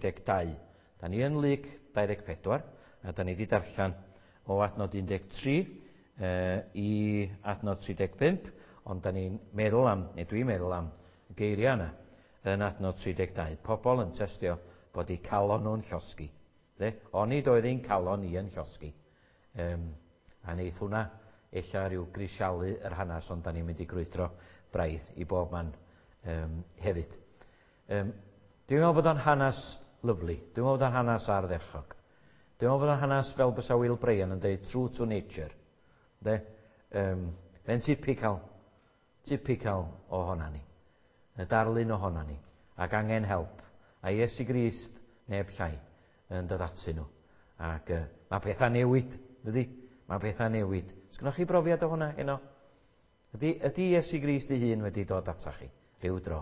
32. Da ni yn Luc 24, a da ni wedi darllen o adnod 13 i adnod 35, ond da ni'n meddwl am, neu dwi'n meddwl am, y geiriau yna yn adnod 32. Pobl yn testio bod eu calon nhw'n llosgi. De? Onid oedd ein calon ni yn llosgi. A neith hwnna ella rhyw grisialu yr hanes, ond da ni'n mynd i grwydro braidd i bob man hefyd. Dwi'n meddwl bod o'n hanes lyfli. Dwi'n meddwl bod o'n hanes ardderchog. Dwi'n meddwl bod o'n hanes fel bysa Will Bryan yn dweud true to nature. De? Mae'n typical, typical ohona ni. Y darlun ohona ni. Ac angen help. A Iesu Grist, neb llai, yn dod atyn nhw. Ac mae pethau newid, dydy? Mae pethau newid. Sgynnoch chi brofiad o hwnna heno? Ydy Iesu Grist ei hun wedi dod atach chi rhyw dro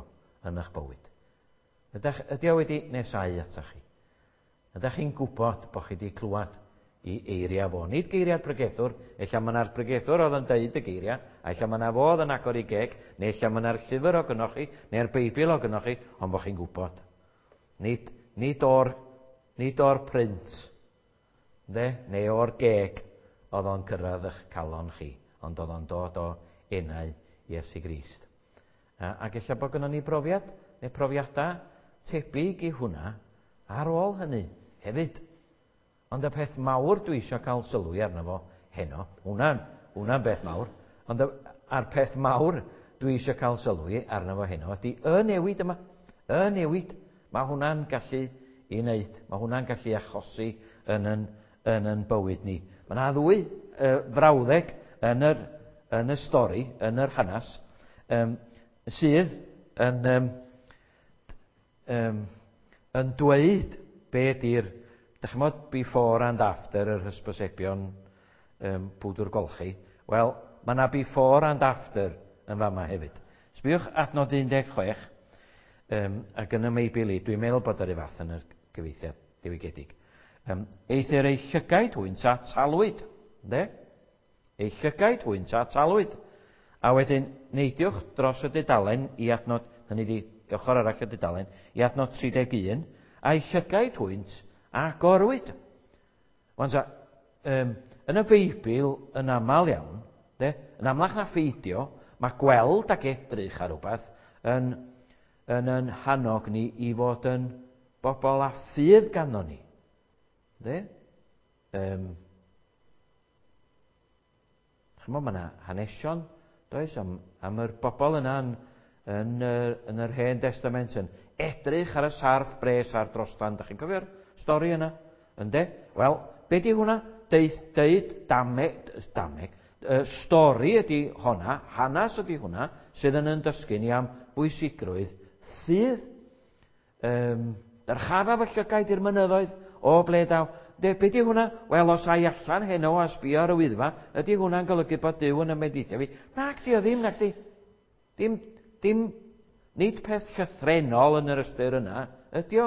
yn eich bywyd? Ydy o wedi nesau atach chi? Ydych chi'n gwybod bod chi wedi clywed i eiriau fo? Nid geiriau'r pregethwr, ella mae yna'r pregethwr oedd yn deud y geiriau, a ella mae yna fo oedd yn agor ei geg, neu ella mae yna'r llyfr o gynnoch chi, neu'r Beibl o gynnoch chi, ond bod chi'n gwybod. Nid o'r print, de, neu o'r geg oedd o'n cyrraedd eich calon chi, ond oedd o'n dod o enau Iesu Grist. Ac ella bod gynnon ni brofiad, neu profiadau tebyg i hwnna ar ôl hynny hefyd. Ond y peth mawr dwi eisiau cael sylwi arno fo heno, hwnna'n beth mawr, ond a'r peth mawr dwi eisiau cael sylwi arno fo heno ydy y newid yma. Y newid. Mae hwnna'n gallu i wneud. Mae hwnna'n gallu achosi yn yn bywyd ni. Mae yna ddwy frawddeg yn y stori, yn yr hanes, sydd yn dweud be di'r, dych chi'n gwbod, before and after yr hysbysebion pwdwr golchi. Wel, mae yna before and after yn fama hefyd. Sbiwch adnod 16, ac yn y Meibl i, dwi'n meddwl bod yr un fath yn y cyfieithiad diwygiedig. Eithr eu llygaid hwynt a talwyd. Ynde? Eu llygaid hwynt a talwyd. A wedyn neidiwch dros y dudalen i adnod, hynny di ochr arall y dudalen, i adnod 31, a'i llygaid hwynt a agorwyd. Wan ta, yn y Beibl yn aml iawn, de, yn amlach na pheidio, mae gweld ac edrych ar rhywbeth yn hannog ni i fod yn bobl â ffydd ganddo ni. De? Chymod, mae yna hanesion, does, am yr bobl yna yn yr Hen Testament yn edrych ar y sarff bres a'r drostan. Dach chi'n cofio'r stori yna? Ynde? Wel, be di hwnna? Deud dameg, stori ydy honna, hanes ydy hwnna, sydd yn dysgu ni am bwysigrwydd ffydd. Dyrchafaf y llygaid i'r mynyddoedd, o ble daw. De, be di hwnna? Wel, os ai allan heno a sbio ar y Wyddfa, ydy hwnna'n golygu bod Duw yn ymwneud fi? Nac di o ddim, nac di. Dim, nid peth llythrennol yn yr ystyr yna, ydy o.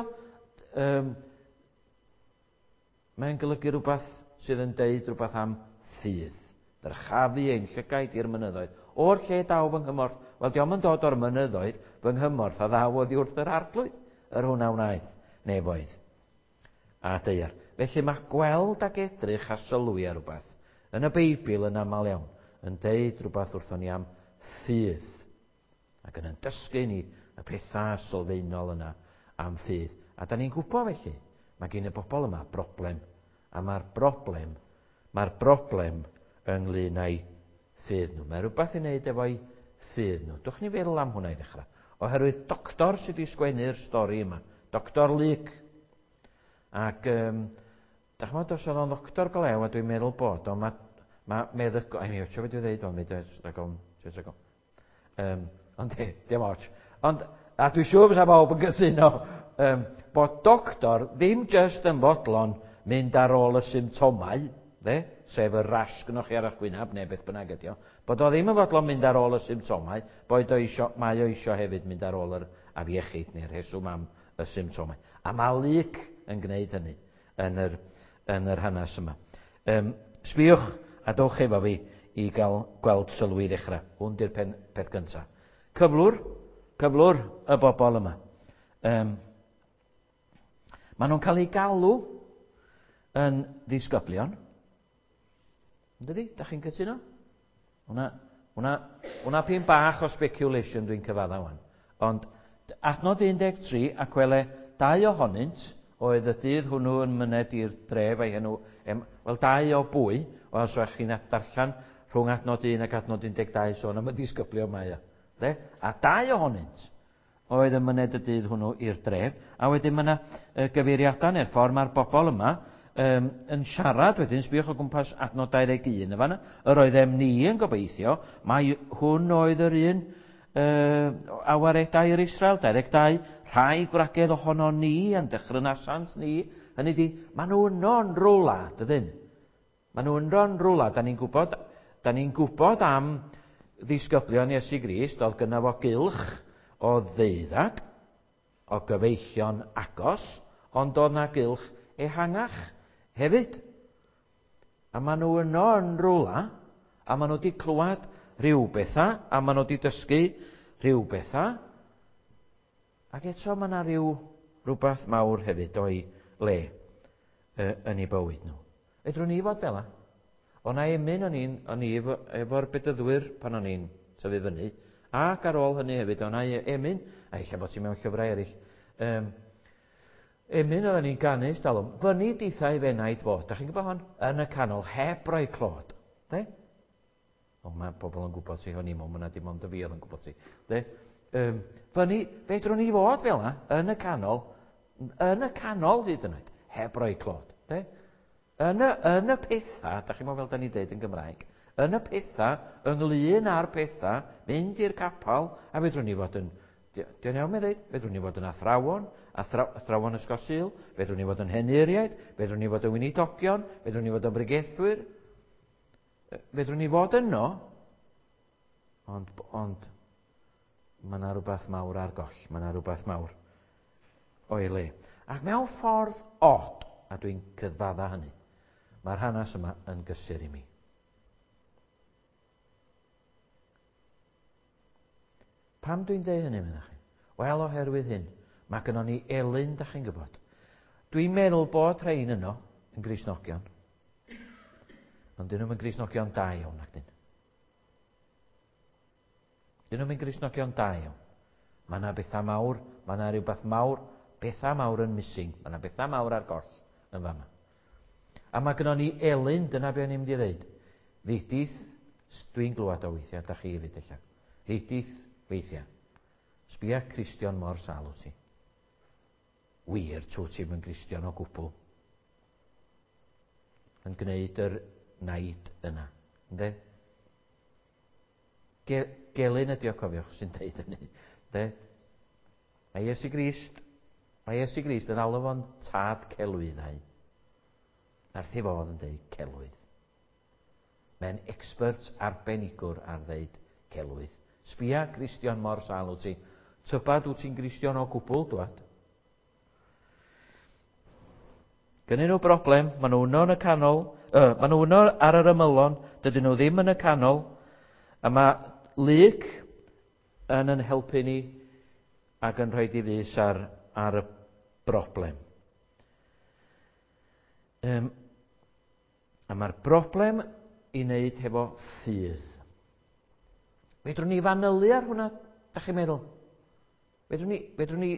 Mae'n golygu rhywbeth sydd yn deud rhywbeth am ffydd. Dyrchafu ein llygaid i'r mynyddoedd. O'r lle daw fy nghymorth. Wel, dio'm yn dod o'r mynyddoedd, fy nghymorth a ddaw oddi wrth yr Arglwydd, yr hwn a wnaeth nefoedd a daear. Felly mae gweld ac edrych a sylwi ar rhywbeth yn y Beibl yn aml iawn yn deud rhywbeth wrthon ni am ffydd. Ac yn dysgu ni y pethau sylfaenol yna am ffydd. A da ni'n gwybod felly, mae gen y bobl yma broblem. A mae'r broblem ynglyn â'i ffydd nhw. Mae rhywbeth i wneud efo'i ffydd nhw. Dwch ni feddwl am hwnna i ddechrau. Oherwydd doctor sydd wedi sgwennu'r stori yma. Doctor Luc. Ac, dach chi'n meddwl, os oedd o'n ddoctor go lew, a dwi'n meddwl bod o, mae meddygol... Ai, mi ots o beth dwi'n dweud, ond mi dwi'n ond dim ots. Ond, a dwi'n siŵr fysa bawb yn cytuno, bod doctor ddim just yn fodlon mynd ar ôl y symptomau, de, sef y rash gynnoch chi ar eich gwynab, neu beth bynnag ydi o, bod o ddim yn fodlon mynd ar ôl y symptomau, bod o isio, mae o isio hefyd mynd ar ôl yr afiechyd neu'r rheswm am y symptomau. A mae Luc yn gwneud hynny yn yr hanes yma. Sbiwch a dowch efo fi i gael gweld sylw i ddechrau. Hwn di'r peth gyntaf. Cyflwr y bobl yma. Maen nhw'n cael eu galw yn ddisgyblion. Yndydi? Da chi'n cytuno? Hwna, hwna, hwna pyn bach o speculation dwi'n cyfadda wan. Ond adnod 13, ac wele dau ohonynt oedd y dydd hwnnw yn myned i'r dref a'i henw, wel dau o bwy, wel os ydych chi'n darllen rhwng adnod 1 ac adnod 12 sôn am y disgyblion mae o. De? A dau ohonynt oedd yn myned y dydd hwnnw i'r dref, a wedyn mae yna gyfeiriadau neu'r ffordd mae'r bobl yma um, yn siarad wedyn, sbïwch o gwmpas adnod 21 y fanna, yr oeddem ni yn gobeithio, mai hwn oedd yr un uh, a waredai i'r Israel, 22, rhai gwragedd ohono ni yn dechrynasant ni, hynny di, maen nhw yno yn rwla, dydyn? Maen nhw yno yn rwla, da ni'n gwybod, da ni'n gwybod am ddisgyblion Iesu Grist, oedd gynna fo gylch o ddeuddag, o gyfeillion agos, ond oedd na gylch ehangach hefyd. A maen nhw yno yn rwla, a maen nhw wedi clywed rhyw bethau, a maen nhw wedi dysgu rhyw bethau, ac eto mae yna rhyw rhywbeth mawr hefyd o'i le yn eu bywyd nhw. Fedrwn ni fod fel 'a? O na emyn o'n i'n o'n i efo, efo'r bedyddwyr pan o'n i'n tyfu fyny, ac ar ôl hynny hefyd, o na emyn, a ella bod ti mewn llyfrau eraill, um, emyn oedden ni'n ganu stalwm, fyny dithau fenaid fod, da chi'n gwybod hon? Yn y canol, heb roi clod. De? O, mae pobl yn gwybod ti, o'n i'n meddwl, mae dim ond y fi oedd yn gwybod ti. De? Um, fyny, fedrwn ni fod fel yna, yn y canol, yn y canol hyd yn oed, heb roi clod. De? Yn y, yn y pethau, da chi'n meddwl fel da ni'n deud yn Gymraeg, yn y pethau, ynglyn â'r pethau, mynd i'r capel, a fedrwn ni fod yn, di'n iawn mae'n dweud, fedrwn ni fod yn athrawon, athrawon ysgol Sul, fedrwn ni fod yn henuriaid, fedrwn ni fod yn weinidogion, fedrwn ni fod yn bregethwyr, fedrwn ni fod yno, ond, ond mae yna rhywbeth mawr ar goll, mae yna rhywbeth mawr o'i le. Ac mewn ffordd od, a dwi'n cyfadda hynny, mae'r hanes yma yn gysur i mi. Pam dwi'n deud hynny, meddach chi? Wel, oherwydd hyn, mae gynnon ni elyn, da chi'n gwybod. Dwi'n meddwl bod rhain yno yn Gristnogion, ond dyn nhw'n Gristnogion da iawn, ac dyn. Dyn nhw'n Gristnogion da iawn. Mae yna bethau mawr, mae yna rhywbeth mawr, bethau mawr yn missing, mae yna bethau mawr ar goll yn fama. A mae gynnon ni elyn, dyna be o'n i'n mynd i ddeud. Ddidith, dwi'n glwad o weithiau, da chi hefyd ella. Ddidith weithiau. Sbia Cristion mor sâl wyt ti. Wir, trwy ti'n yn Gristion o gwbl. Yn gwneud yr naid yna. Ynde? Ge gelyn ydi o, cofiwch, sy'n deud hynny. De? Mae Iesu Grist, mae Iesu Grist yn alw fo'n tad celwyddau. Wrth ei fodd yn deud celwydd. Mae'n expert arbenigwr ar ddeud celwydd. Sbia Gristion mor sâl wyt ti. Tybad wyt ti'n Gristion o gwbl, dwad? Gynnyn nhw broblem, maen nhw yno yn y canol, maen nhw yno ar yr ymylon, dydyn nhw ddim yn y canol, a mae Luc yn yn helpu ni ac yn rhoi i fys ar, ar y broblem. Um, a mae'r broblem i wneud hefo ffydd. Fedrwn ni fanylu ar hwnna, da chi'n meddwl? Fedrwn ni, fedrwn ni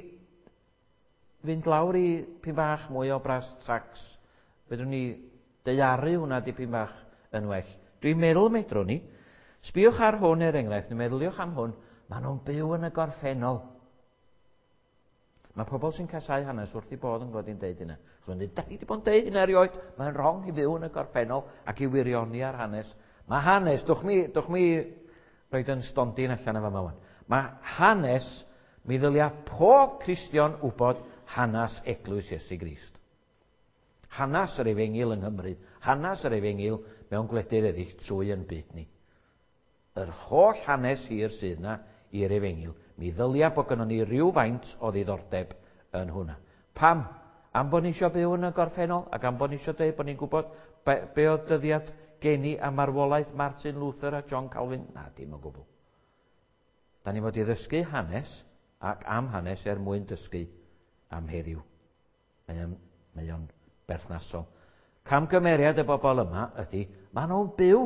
fynd lawr i pyn bach mwy o bras tracs. Fedrwn ni daearu hwnna dipyn bach yn well. Dwi'n meddwl medrwn ni. Sbïwch ar hwn er enghraifft, neu meddyliwch am hwn, maen nhw'n byw yn y gorffennol. Mae pobl sy'n casau hanes wrth i bodd yn gwybod i'n deud hynna. Chos dweud, da ni wedi bod yn deud hynna erioed. Mae'n wrong i fyw yn y gorffennol ac i wirioni ar hanes. Mae hanes, dwch mi, dwch mi roed yn stondin allan yma wan. Mae hanes, mi ddylia pob Cristion wybod hanes Eglwys Iesu Grist. Hanes yr efengyl yng Nghymru, hanes yr efengyl mewn gwledydd eraill trwy yn byd ni. Yr holl hanes hir sydd yna i'r efengyl, mi ddylia bod gynnon ni rhywfaint o ddiddordeb yn hwnna. Pam? Am bod ni eisiau byw yn y gorffennol ac am bod ni eisiau dweud bod ni'n gwybod be, be oedd dyddiad geni a marwolaeth Martin Luther a John Calvin? Na, dim o gwbl. Da ni fod i ddysgu hanes ac am hanes er mwyn dysgu am heddiw. Mae o'n, mae o'n berthnasol. Camgymeriad y bobl yma ydy, maen nhw'n byw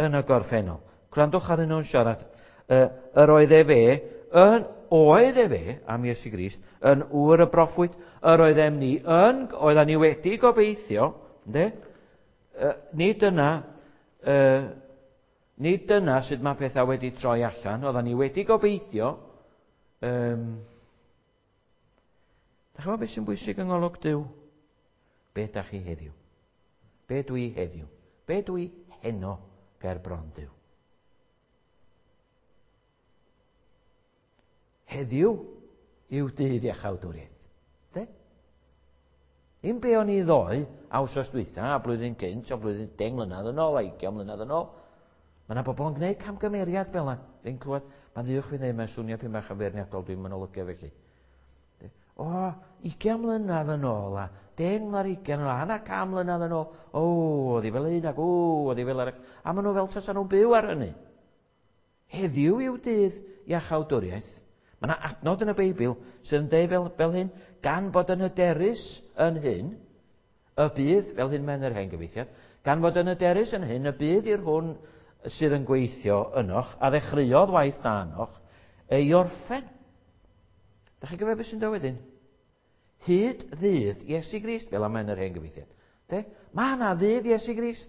yn y gorffennol. Gwrandwch ar nhw'n siarad. Yr oedd e fe, yn, oedd e fe, am Iesu Grist, yn ŵr y broffwyd, yr oeddem ni yn, oedden ni wedi gobeithio, ynddo? Nid dyna, nid dyna sut mae pethau wedi troi allan, oedden ni wedi gobeithio. Da chi'n gwybod beth sy'n bwysig yng ngolwg Duw? Be da chi heddiw? Be dwi heddiw? Be dwi heno ger bron Duw? Heddiw yw dydd iachawdwriaeth. De? Un be o'n i ddoe, a wsos dwytha, a blwyddyn gynt, a blwyddyn 10 mlynedd yn ôl, a 20 mlynedd yn ôl. Mae yna bobl yn gwneud camgymeriad fel yna. Fi'n clywed, mae'n ddiwch fi wneud, mae'n swnio pyn bach yn feirniadol, dwi'n mynd olygu felly. O, 20 mlynedd yn ôl, a 10 mlynedd 20 yn ôl, a 100 mlynedd yn ôl, o, oedd hi fel un ac o, oedd hi fel arall. A maen nhw fel tasa nhw'n byw ar hynny. Heddiw yw dydd iachawdwriaeth. Mae yna adnod yn y Beibl sydd yn dweud fel, fel hyn, gan fod yn hyderus yn hyn, y bydd, fel hyn mae'n yr hen gyfeithiad, gan fod yn hyderus yn hyn, y bydd i'r hwn sydd yn gweithio ynoch, a ddechreuodd waith da ynoch, ei orffen. Da chi'n gyfer beth sy'n dod wedyn? Hyd ddydd Iesu Grist, fel am yn yr hen gyfeithiad. De? Mae yna ddydd Iesu Grist.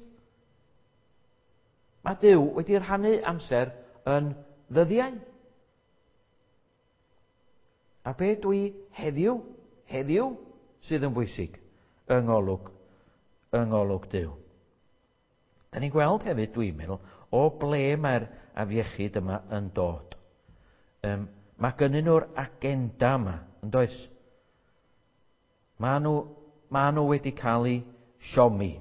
Mae Duw wedi rhannu amser yn ddyddiau. A be dwi heddiw, heddiw sydd yn bwysig yng ngolwg, yng ngolwg Duw. Da ni'n gweld hefyd, dwi'n meddwl, o ble mae'r afiechyd yma yn dod. Mae gynnyn nhw'r agenda yma, yn does? Mae nhw, ma nhw wedi cael eu siomi.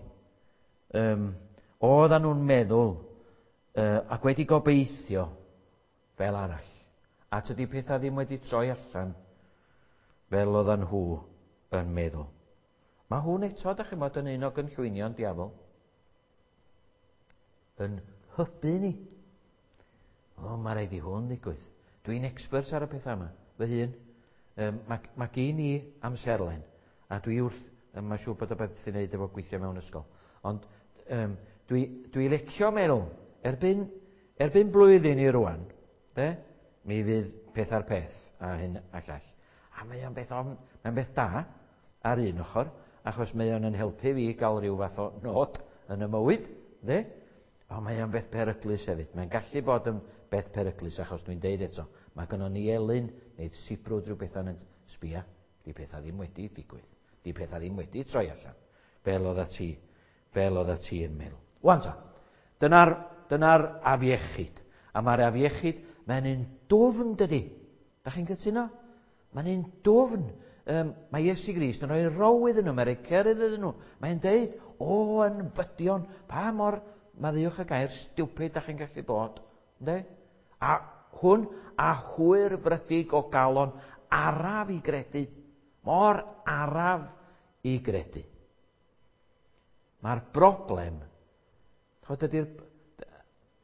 Oedden nhw'n meddwl ac wedi gobeithio fel arall. A tydi pethau ddim wedi troi allan fel oedden nhw yn meddwl. Mae hwn eto, da chi'n bod, yn un o gynllwynion diafol. Yn hybu ni. O, mae rhaid i hwn ddigwydd. Dwi'n expert ar y pethau yma, fy hun. Mae, mae gen i amserlen, a dwi wrth, mae'n siŵr bod y beth sy'n neud efo gweithio mewn ysgol. Ond dwi, dwi licio meddwl, erbyn, erbyn blwyddyn i rwan, de, mi fydd peth ar peth a hyn a llall. A mae o'n beth, ofn, mae'n beth da ar un ochr, achos mae o'n yn helpu fi gael rhyw fath o nod yn y mywyd, de? Ond mae o'n beth peryglus hefyd. Mae'n gallu bod yn beth peryglus, achos dwi'n deud eto, mae gynnon ni elyn neu sibrwd rhyw bethau yn sbia. Di pethau ddim wedi digwydd. Di pethau ddim wedi troi allan. Fel oedd ti, fel oedd ti yn meddwl. Wan ta, dyna'r dyna afiechyd. A mae'r afiechyd, mae'n un dwfn dydy. Da chi'n cytuno? Mae'n un dwfn. Mae Iesu Grist yn rhoi row iddyn nhw, mae'n rhoi cerydd iddyn nhw. Mae'n deud, o, yn fydion, pa mor, maddeuwch y gair, stupid da chi'n gallu bod. Ynde? A hwn, a hwyr frydig o galon, araf i gredu. Mor araf i gredu. Mae'r broblem, chod ydy'r...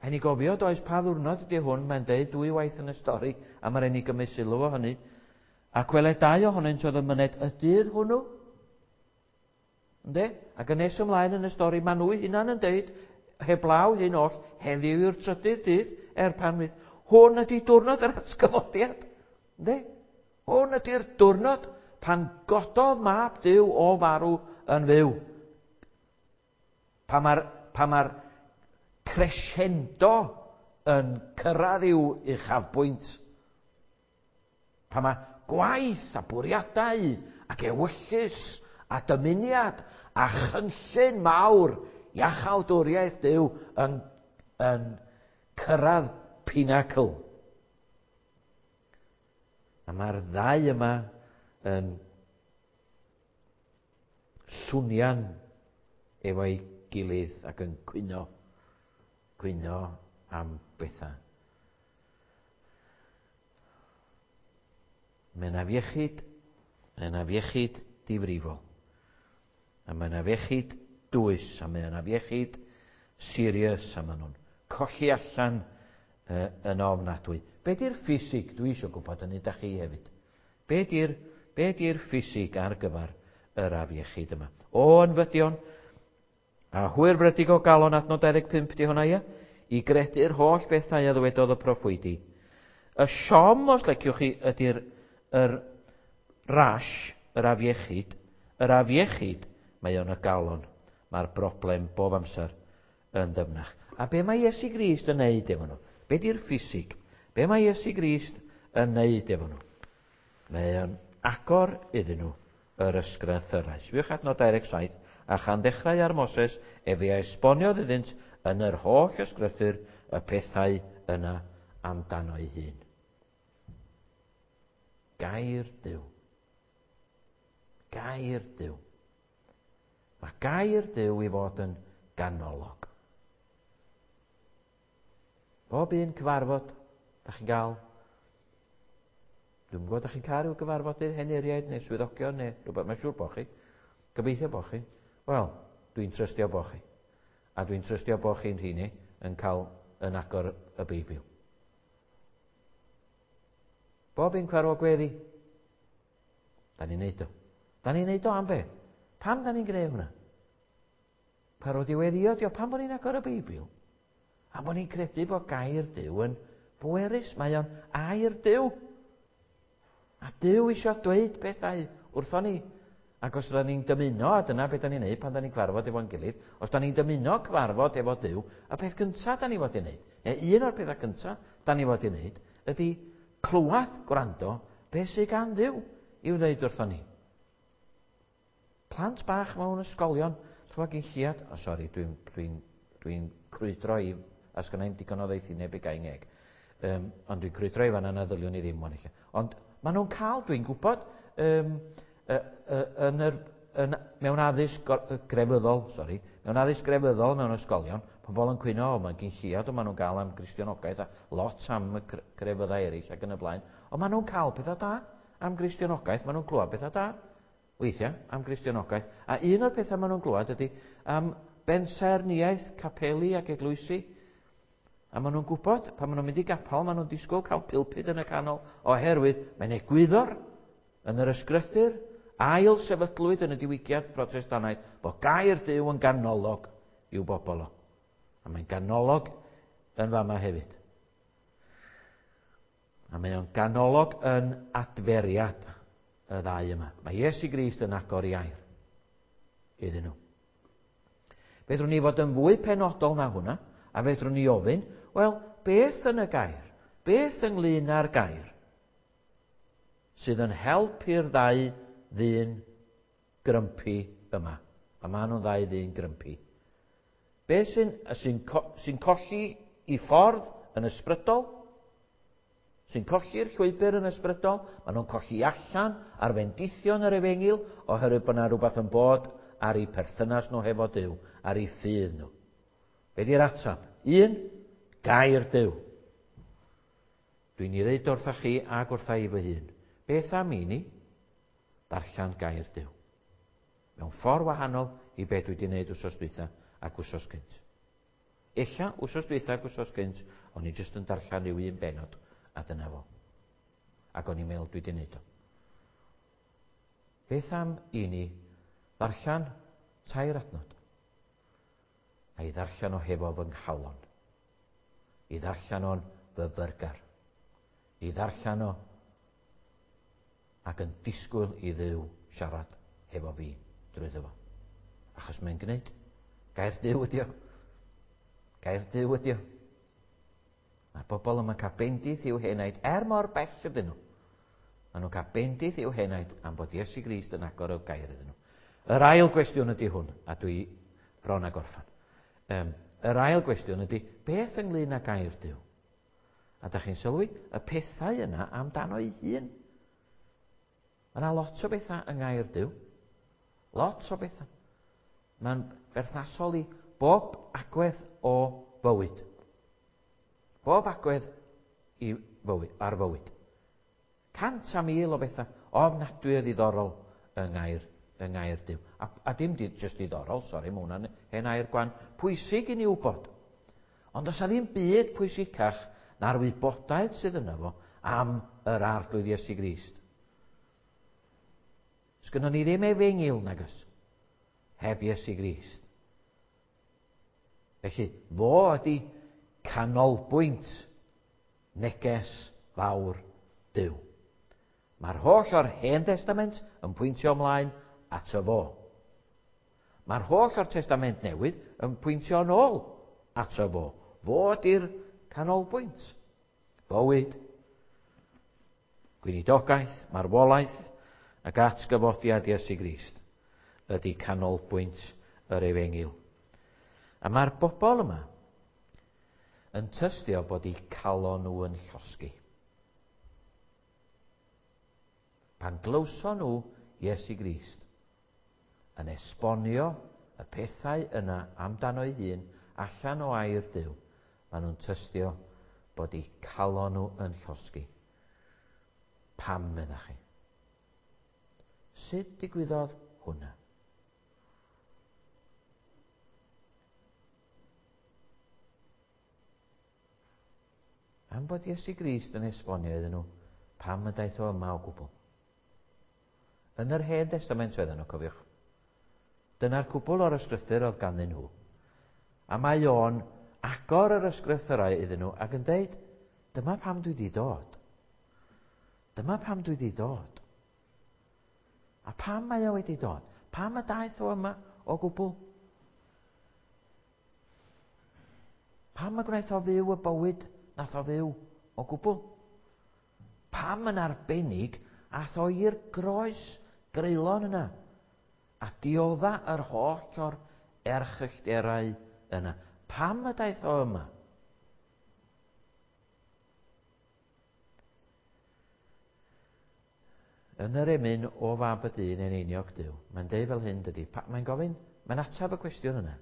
Rhaid ni gofio, does, pa ddwrnod ydy hwn, mae'n deud dwy waith yn y stori, a mae'n rhaid ni gymryd sylw o hynny. Ac wele dau ohonynt oedd yn myned y dydd hwnnw. Ynde? Ac yn nes ymlaen yn y stori, maen nhw hunan yn deud, heblaw hyn oll, heddiw yw'r trydydd dydd, er pan fydd. Hwn ydy diwrnod yr atgyfodiad. Ynde? Hwn ydy'r diwrnod pan gododd mab Duw o farw yn fyw. Pan mae'r pa mae'r crescendo yn cyrraedd i'w uchafbwynt. Pan mae gwaith a bwriadau ac ewyllys a dymuniad a chynllun mawr iachawdwriaeth Duw yn, yn cyrraedd pinacl. A mae'r ddau yma yn swnian efo'i gilydd ac yn cwyno, cwyno am bethau. Mae'n afiechyd, mae'n afiechyd difrifol. A mae'n afiechyd dwys, a mae'n afiechyd serious, a maen nhw'n colli allan yn ofnadwy. Be di'r ffisig? Dwi eisiau gwybod hynny da chi hefyd. Be di'r be di'r ffisig ar gyfer yr afiechyd yma. O ynfydion, a hwyrfrydig o galon adnod 25 di hwnna, ia? I gredu'r holl bethau a ddywedodd y proffwydi. Y siom, os leciwch chi, ydy'r yr rash, yr afiechyd. Yr afiechyd, mae o'n y galon. Mae'r broblem bob amser yn ddyfnach. A be mae Iesu Grist yn neud efo nhw? Be di'r ffisig? Be mae Iesu Grist yn neud efo nhw? Mae o'n agor iddyn nhw yr ysgrythyrau. Sbiwch adnod 27, a chan ddechrau ar Moses, efe a esboniodd iddynt yn yr holl ysgrythur y pethau yna amdano ei hun. Gair Duw. Gair Duw. Mae gair Duw i fod yn ganolog. Bob un cyfarfod, da chi'n gael Dwi'n gwybod, da chi'n cael rhyw gyfarfodydd henuriaid neu swyddogion neu rhywbeth, mae'n siŵr bod chi. Gobeithio bod chi. Wel, dwi'n trystio bod chi. A dwi'n trystio bod chi'n rheini yn cael yn agor y Beibl. Bob un cyfarfod gweddi. Da ni'n neud o. Da ni'n neud o am be? Pam da ni'n gwneud hwnna? Parod i weddio, dio pam bod ni'n agor y Beibl? A bod ni'n credu bod gair Duw yn bwerus. Mae o'n air Duw. A Duw eisiau dweud pethau wrthon ni. Ac os ydyn ni'n dymuno, a dyna beth da ni'n neud pan da ni'n cyfarfod efo'n gilydd, os da ni'n dymuno cyfarfod efo Duw, y peth cyntaf da ni fod i wneud, neu un o'r pethau cyntaf da ni fod i wneud, ydy clywed, gwrando, beth sydd gan Dduw i'w ddeud wrthon ni. Plant bach mewn ysgolion, ch'mo' gin lliad, o sori, dwi'n dwi dwi crwydro i, a sgynna i'm digon o ddoethineb i gau ngeg. Um, ond dwi'n crwydro i fanna na ddyliwn i ddim wan ella. Ond maen nhw'n cael, dwi'n gwybod, um, uh, uh, yn yr, yn, mewn addysg grefyddol, sori, mewn addysg grefyddol mewn ysgolion, pobl yn cwyno, o, mae'n gyn lliad o maen nhw'n gael am Gristionogaeth a lot am y crefyddau eraill ac yn y blaen. Ond maen nhw'n cael pethau da am Gristionogaeth, maen nhw'n clywed pethau da weithiau am Gristionogaeth, a un o'r pethau maen nhw'n glywed ydy am bensaernïaeth capeli ac eglwysi. A maen nhw'n gwybod, pan maen nhw'n mynd i gapel, maen nhw'n disgwyl cael pulpud yn y canol, oherwydd mae'n egwyddor yn yr ysgrythur, ail sefydlwyd yn y diwygiad Protestannaidd, bod gair Duw yn ganolog i'w bobl o. A mae'n ganolog yn fama hefyd. A mae o'n ganolog yn adferiad y ddau yma. Mae Iesu Grist yn agor i air iddyn nhw. Fedrwn ni fod yn fwy penodol na hwnna, a fedrwn ni ofyn, wel, beth yn y gair? Beth ynglyn â'r gair sydd yn helpu'r ddau ddyn grympi yma? A maen nhw'n ddau ddyn grympi. Beth sy'n sy sy colli i ffordd yn ysbrydol? Sy'n colli'r llwybr yn ysbrydol, maen nhw'n colli allan ar fendithion yr efengyl oherwydd bod yna rhywbeth yn bod ar eu perthynas nhw hefo Duw, ar eu ffydd nhw. Be di'r ateb? Un, gair Duw. Dwi'n ei ddeud wrtha chi ac wrtha i fy hun. Beth am i ni darllen gair Duw? Mewn ffordd wahanol i be dwi wedi gwneud wsos dwytha ac wsos gynt. Ella, wsos dwytha ac wsos gynt, o'n i jyst yn darllen rhyw un benod, a dyna fo. Ac o'n i'n meddwl dwi wedi gwneud o. Beth am i ni ddarllen tair adnod? A i ddarllen o hefo fy nghalon. I ddarllen o'n fyfyrgar. I ddarllen o ac yn disgwyl i Dduw siarad hefo fi drwyddo fo. Achos mae'n gwneud. Gair Duw ydi o. Gair Duw ydi o. Mae'r bobl yma'n cael bendith i'w henaid er mor bell ydyn nhw. Maen nhw'n cael bendith i'w henaid am bod Iesu Grist yn agor y gair iddyn nhw. Yr ail gwestiwn ydy hwn, a dwi bron a gorffan. Um, yr ail gwestiwn ydy, beth ynglyn â gair Duw? A da chi'n sylwi, y pethau yna amdano ei hun. Mae yna lot o bethau yng ngair Duw. Lot o bethau. Mae'n berthnasol i bob agwedd o fywyd. Bob agwedd i fywyd, ar fywyd. 100,000 o bethau ofnadwy o ddiddorol yng ngair, yng ngair Duw. A, a dim di, just diddorol, sori, mae hwnna'n hen air gwan. Pwysig i ni wybod. Ond os a ddim byd pwysicach na'r wybodaeth sydd yna fo am yr arglwydd Iesu Grist. Sgynnon ni ddim efengyl, nagos, heb Iesu Grist. Felly, fo ydy canolbwynt neges fawr Duw. Mae'r holl o'r Hen Testament yn pwyntio ymlaen ato fo. Mae'r holl o'r Testament Newydd yn pwyntio yn ôl ato fo. Fo ydy'r canolbwynt. Bywyd, gweinidogaeth, marwolaeth ac atgyfodiad Iesu Grist ydy canolbwynt yr efengyl. A mae'r bobl yma yn tystio bod eu calon nhw yn llosgi. Pan glywson nhw Iesu Grist yn esbonio y pethau yna amdano'i hun allan o air Duw, maen nhw'n tystio bod eu calon nhw yn llosgi. Pam, meddach chi? Sut digwyddodd hwnna? Am bod Iesu Grist yn esbonio iddyn nhw pam y daeth o yma o gwbl. Yn yr Hen Destament oedden nhw, cofiwch. Dyna'r cwbl o'r ysgrythur oedd ganddyn nhw. A mae o'n agor yr ysgrythurau iddyn nhw ac yn deud, dyma pam dwi wedi dod. Dyma pam dwi wedi dod. A pam mae o wedi dod? Pam y daeth o yma o gwbl? Pam y gwnaeth o fyw y bywyd nath o fyw o gwbl? Pam yn arbennig ath o i'r groes greulon yna a diodda yr holl o'r erchyllterau yna? Pam y daeth o yma? Yn yr emyn o fab y dyn eneiniog Duw, mae'n deud fel hyn, dydy. Mae'n gofyn, mae'n ateb y cwestiwn yna.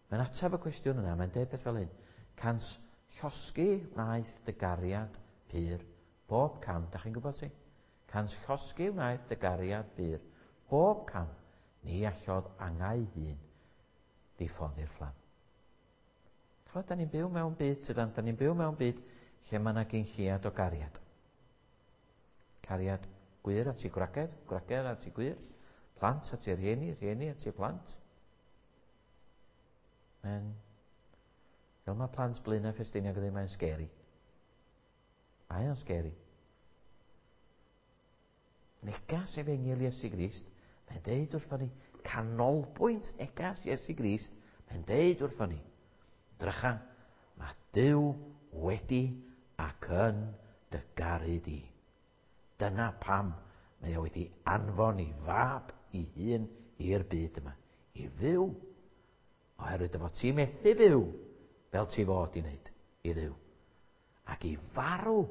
Mae'n ateb y cwestiwn yna, mae'n deud beth fel hyn. Cans llosgi wnaeth dy gariad pur bob cam. Da chi'n gwybod ti? Cans llosgi wnaeth dy gariad pur bob cam. Ni allodd angau hun ddiffodd i'r fflam. Ch'mod, da ni'n byw mewn byd, tydan, da ni'n byw mewn byd lle mae yna gynlliad o gariad. Cariad gwir at i gwragedd, gwragedd at i gwir, plant at i rhieni, rhieni at i plant. Mae'n... Fel mae plant Blaenau Ffestiniog yn dweud, mae'n scary. Mae o'n scary. Negas efengyl Iesu Grist, mae'n deud wrthon ni, canolbwynt negas Iesu Grist, mae'n deud wrthon ni, drycha, mae Duw wedi ac yn dy garu di. Dyna pam mae o wedi anfon i fab i hun i'r byd yma, i fyw, oherwydd dy fod ti methu byw fel ti fod i wneud i Dduw. Ac i farw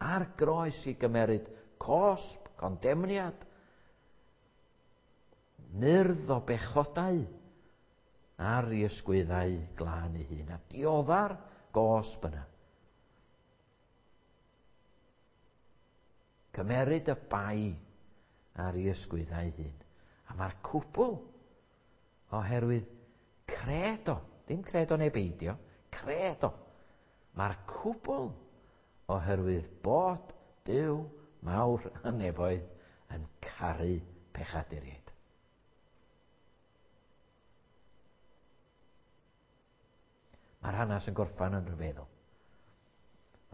ar groes i gymeryd cosb, condemniad, myrdd o bechodau ar i ysgwyddau glân ei hun, a diodda'r gosb yna. Cymeryd y bai ar i ysgwyddau hun. A mae'r cwbl oherwydd credo, ddim credo neu beidio, credo. Mae'r cwbl oherwydd bod Duw mawr y nefoedd yn caru pechaduriaid. Mae'r hanes yn gorffan yn rhyfeddol.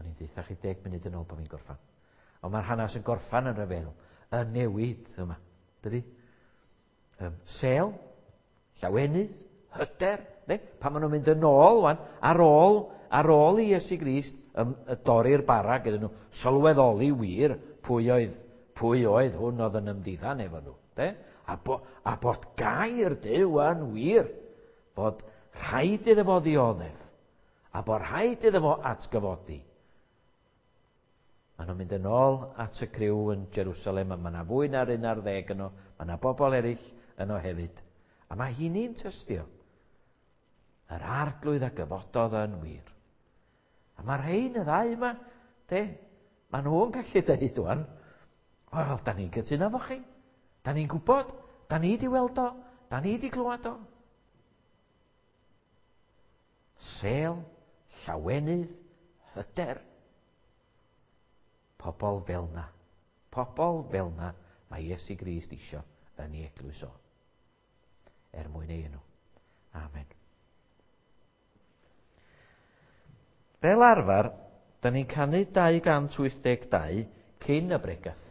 O'n i'n deutha chi 10 munud yn ôl bod fi'n gorffan. Ond mae'r hanes yn gorffan yn rhyfeddol. Y newid yma. Dydy? Sel, llawenydd, hyder, ne? Pan maen nhw'n mynd yn ôl, wan, ar ôl, ar ôl i Iesu Grist dorri'r bara gyda nhw, sylweddoli wir pwy oedd, pwy oedd hwn oedd yn ymddiddan efo nhw. De? A, bo, a bod gair Duw yn wir, bod rhaid iddo fo ddioddef, a bod rhaid iddo fo atgyfodi. Maen nhw'n mynd yn ôl at y criw yn Jerusalem, a mae yna fwy na'r 11 yno, mae yna bobl eraill yno hefyd. A mae hynny'n tystio. Yr arglwydd a gyfododd yn wir. A mae'r rhain y ddau yma, de, maen nhw'n gallu dweud wan, wel, da ni'n cytuno fo chi. Da ni'n gwybod, da ni di weld o, da ni di glwad o. Sel, llawenydd, hyder. Pobl fel na. Pobl fel na Mae Iesu Grist isio yn ei eglwys o. Er mwyn ei enw. Amen. Fel arfer, da ni'n canu 282 cyn y bregath.